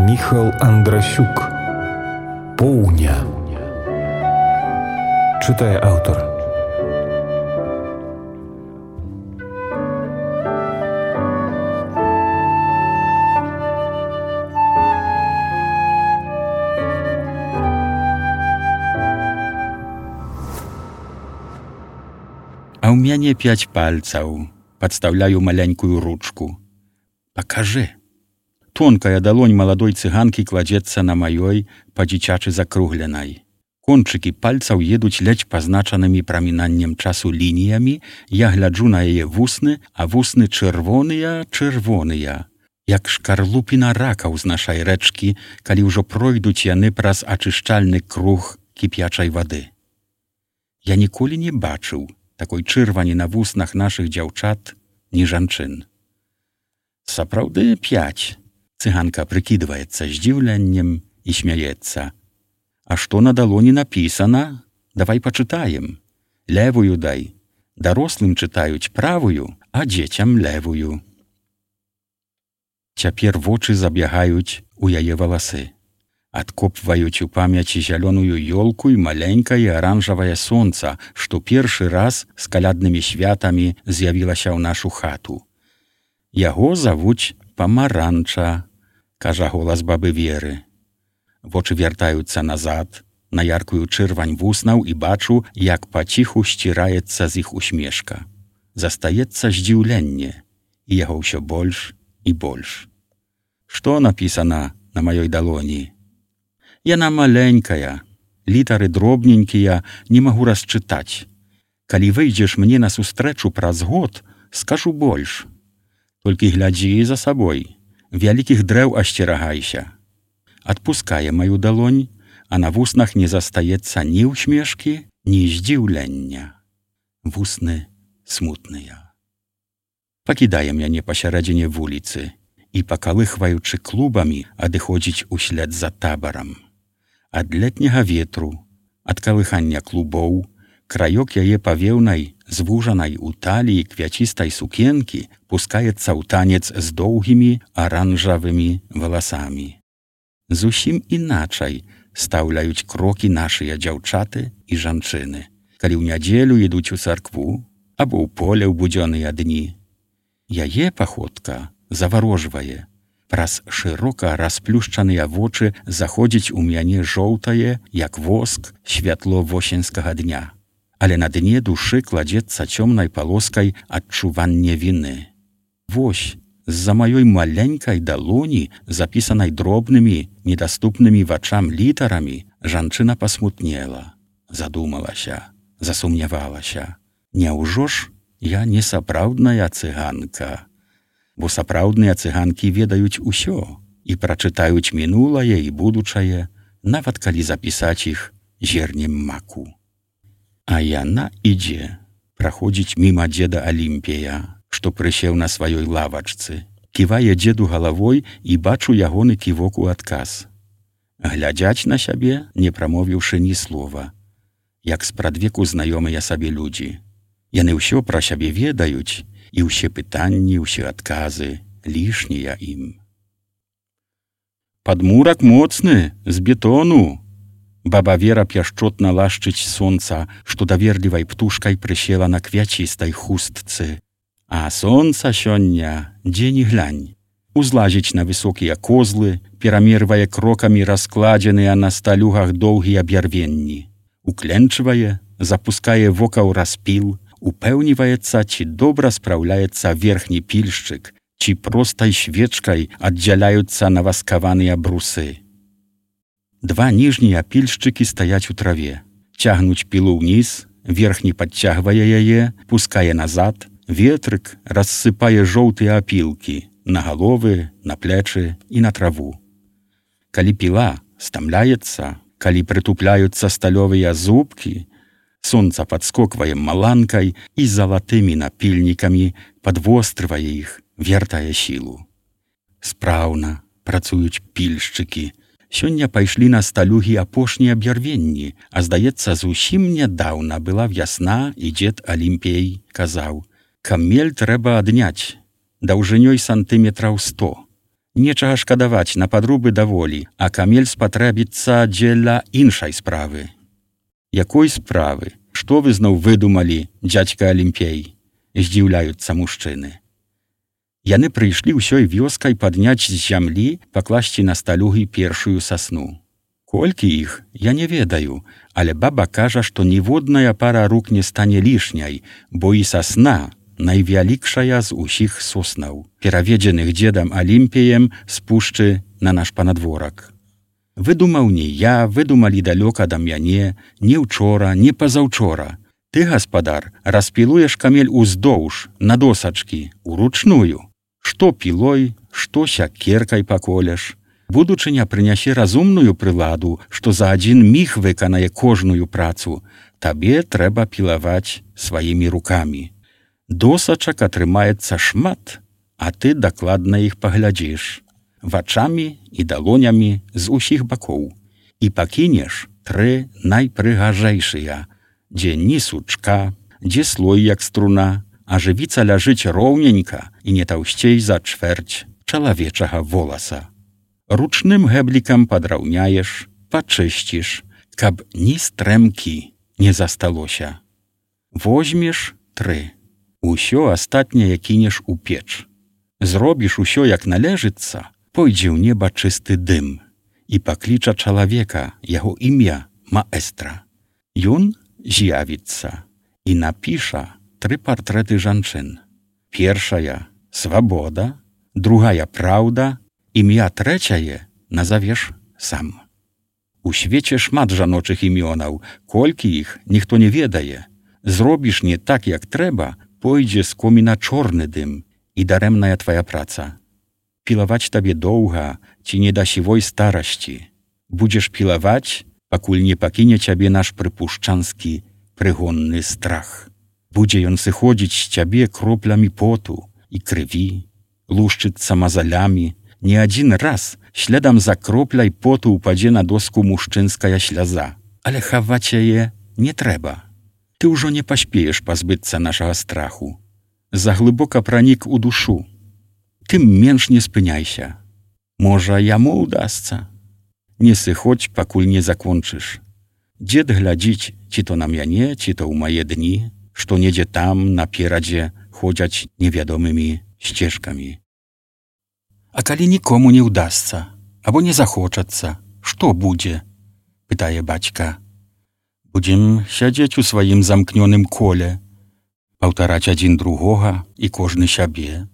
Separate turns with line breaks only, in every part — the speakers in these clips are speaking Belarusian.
Міхал Андрасюк. Поўня. Чытае аўтар.
А ў мяне 5 пальцаў. Падстаўляю маленькую ручку. Пакажы. Тонкая далонь маладой цыганкі кладзецца на маёй, па-дзіцячы закругленай. Кончыкі пальцаў едуць ледзь пазначанымі прамінаннем часу лініямі, я гляджу на яе вусны, а вусны чырвоныя, як шкарлупіна ракаў з нашай рэчкі, калі ўжо пройдуць яны праз ачышчальны круг кіпячай вады. Я ніколі не бачыў такой чырвані на вуснах нашых дзяўчат, ні жанчын. Сапраўды 5. Цыганка прыкідваецца здзіўленнем і смяецца. А што на далоні напісана? Давай пачытаем. Левую дай. Дарослым чытаюць правую, а дзецям левую. Цяпер вочы забягаюць у яе валасы. Адкопваюць у памяці зялёную ёлку і маленькае аранжавае сонца, што першы раз з каляднымі святамі з'явілася ў нашу хату. Яго завуць Памаранча, кажа голас бабы Веры. Вочы вяртаюцца назад, на яркую чырвань вуснаў і бачу, як паціху сціраецца з іх усмешка. Застаецца здзіўленне, і яго ўсё больш і больш. Што напісана на маёй далоні? Яна маленькая, літары дробненькія, не магу расчытаць. Калі выйдзеш мне на сустрэчу праз год, скажу больш. Толькі глядзі за сабой, вялікіх дрэў асцерагайся. Адпускае маю далонь, а на вуснах не застаецца ні ўсмешкі, ні здзіўлення. Вусны смутныя. Пакідае мяне пасярэдзіне вуліцы і, пакалыхваючы клубамі, адыходзіць услед за табарам. Ад летняга ветру, ад калыхання клубоў, краёк яе павеўнай, звужанай у таліі квяцістай сукенкі пускаецца ў танец з доўгімі аранжавымі валасамі. Зусім іначай стаўляюць крокі нашыя дзяўчаты і жанчыны, калі ў нядзелю ідуць у царкву або ў поле ў будзённыя дні. Яе паходка заварожвае. Праз шырока расплюшчаныя вочы заходзіць у мяне жоўтае, як воск, святло восеньскага дня. Але на дне душы кладзецца цёмнай палоскай адчуванне віны. Вось, з-за маёй маленькай далоні, запісанай дробнымі, недаступнымі вачам літарамі, жанчына пасмутнела, задумалася, засумнявалася. Няўжо ж я не сапраўдная цыганка? Бо сапраўдныя цыганкі ведаюць усё і прачытаюць мінулае і будучае, нават калі запісаць іх зернем маку. А яна ідзе, праходзіць міма дзеда Алімпія, што прысеў на сваёй лавачцы, ківае дзеду галавой і бачу ягоны ківок у адказ. Глядзяць на сябе, не прамовіўшы ні слова, як спрадвеку знаёмыя сабе людзі. Яны ўсё пра сябе ведаюць, і ўсе пытанні, ўсе адказы лішнія ім. Падмурак моцны, з бетону. Баба Вера пяшчотна лашчыць сонца, што даверлівай птушкай прысела на квяцістай хустцы. А сонца сёння, дзе ні глянь, узлазіць на высокія козлы, перамервае крокамі раскладзеныя на сталюгах доўгія бярвенні. Укленчвае, запускае вока ў распіл, упэўніваецца, ці добра спраўляецца верхні пільшчык, ці простай свечкай аддзяляюцца наваскаваныя брусы. 2 ніжнія пільшчыкі стаяць у траве, цягнуць пілу ўніз, верхні падцягвае яе, пускае назад, ветрык рассыпае жоўтыя апілкі на галовы, на плечы і на траву. Калі піла стамляецца, калі прытупляюцца сталёвыя зубкі, сонца падскоквае маланкай і залатымі напільнікамі падвострывае іх, вертае сілу. Спраўна працуюць пільшчыкі. Сёння пайшлі на сталюгі апошнія бярвенні, а здаецца, зусім нядаўна была вясна, і дзед Алімпей казаў: «Камель трэба адняць, даўжынёй сантыметраў 100. Нечага шкадаваць на падрубы даволі, а камель спатрэбіцца дзеля іншай справы. Якой справы? Што вы зноў выдумалі, дзядзька Алімпей? Здзіўляюцца мужчыны. Яны прыйшлі ўсёй вёскай падняць з зямлі, пакласці на сталюгі першую сасну. Колькі іх, я не ведаю, але баба кажа, што ніводная пара рук не стане лішняй, бо і сасна найвялікшая з усіх соснаў, пераведзеных дзедам Алімпіем з пушчы на наш панадворак. Выдумаў не я, выдумалі далёка да мяне, не ўчора, не пазаўчора. Ты, гаспадар, распілуеш камель уздоўж, на досачкі, уручную. Што пілой, што сякеркай паколеш. Будучыня прынясе разумную прыладу, што за адзін міг выканае кожную працу. Табе трэба пілаваць сваімі рукамі. Досачак атрымаецца шмат, а ты дакладна іх паглядзіш. Вачамі і далонямі з усіх бакоў. І пакінеш 3 найпрыгажэйшыя, дзе ні сучка, дзе слой як струна, а жывіца ляжыць роўненька і не таўсцей за чвэрць чалавечага воласа. Ручным гэблікам падраўняеш, пачысціш, каб ні стрэмкі не засталося. Возьмеш 3. Усё астатняе кінеш у печ. Зробіш усё як належыцца, пойдзе ў неба чысты дым і пакліча чалавека, яго імя маэстра. Ён з'явіцца і напіша 3 партрэты жанчын. Першая – свабода, другая – праўда, імя трэцяе назавеш сам. У свеце шмат жаночых імёнаў, колькі іх ніхто не ведае. Зробіш не так, як трэба, пойдзе з коміна чорны дым і дарэмная твая праца. Пілаваць табе доўга ці не да сівой старасці. Будзеш пілаваць, пакуль не пакіне цябе наш прыпушчанскі прыгонны страх. Будзе ён сыходзіць з цябе кроплямі поту і крыві, лушчыцца мазалямі. Не адзін раз слядам за кропляй поту упадзе на доску мужчынская сляза. Але хаваць яе не трэба. Ты ўжо не паспееш пазбыцца нашага страху. Заглыбока пранік у душу. Тым менш не спыняйся. Можа, яму ўдасца. Не сыходзь, пакуль не закончыш. Дзед глядзіць, ці то на мяне, ці то ў мае дні, што недзе там, наперадзе, ходзяць невядомымі сцежкамі. А калі нікому не ўдасца, або не захочацца, што будзе? Пытае бацька. Будзем сядзець у сваім замкнёным коле, паўтараць адзін другога і кожны сябе.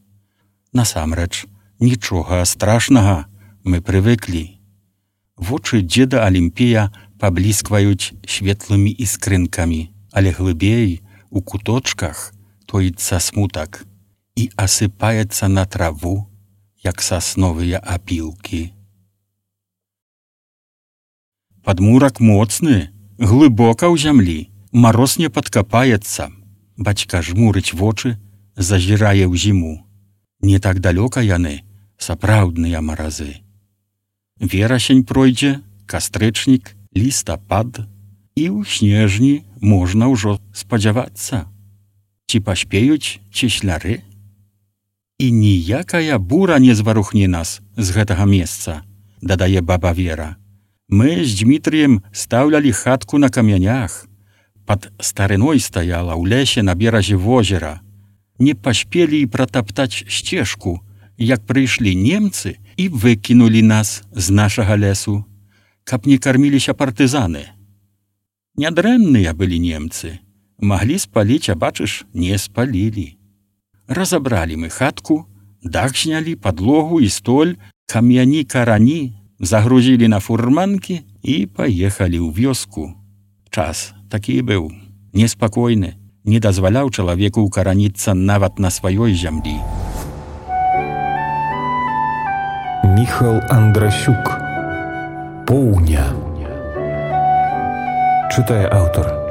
Насамрэч, нічога страшнага, мы прывыклі. Вочы дзеда Алімпія пабліскваюць светлымі іскрынкамі, але глыбей, у куточках, тоіцца смутак і асыпаецца на траву, як сасновыя апілкі. Падмурак моцны, глыбока ў зямлі, мароз не падкапаецца. Бацька жмурыць вочы, зазірае ў зіму. Не так далёка яны, сапраўдныя маразы. Верасень пройдзе, кастрычнік, лістапад, і ў снежні можна ўжо спадзявацца. Ці паспеюць цесляры? І ніякая бура не зварухне нас з гэтага месца, дадае баба Вера. Мы з Дмітрыем стаўлялі хатку на камянях. Пад старыной стаяла ў лесе на беразе возера. Не паспелі і пратаптаць сцежку, як прыйшлі немцы і выкінулі нас з нашага лесу, каб не карміліся партызаны. Нядрэнныя былі немцы. Маглі спаліць, а бачыш, не спалілі. Разабралі мы хатку, дах знялі, падлогу і столь, камяні-карані, загрузілі на фурманкі і паехалі ў вёску. Час такі быў, неспакойны, не дазваляў чалавеку ўкараніцца нават на сваёй зямлі.
Міхал Андрасюк. Поўня. Чытае аўтар.